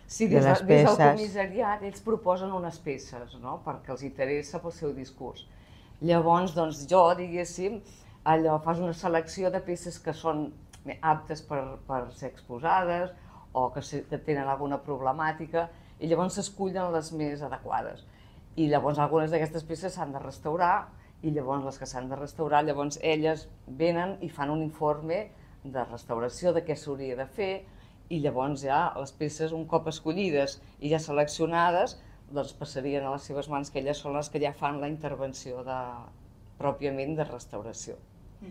Sí, de les des del peces. comissariat ells proposen unes peces, no?, perquè els interessa pel seu discurs. Llavors, doncs jo, diguéssim, allò, fas una selecció de peces que són aptes per ser exposades o que tenen alguna problemàtica i llavors s'escullen les més adequades. I llavors algunes d'aquestes peces s'han de restaurar i llavors les que s'han de restaurar, llavors elles venen i fan un informe de restauració de què s'hauria de fer i llavors ja les peces, un cop escollides i ja seleccionades, doncs passarien a les seves mans, que elles són les que ja fan la intervenció pròpiament de restauració.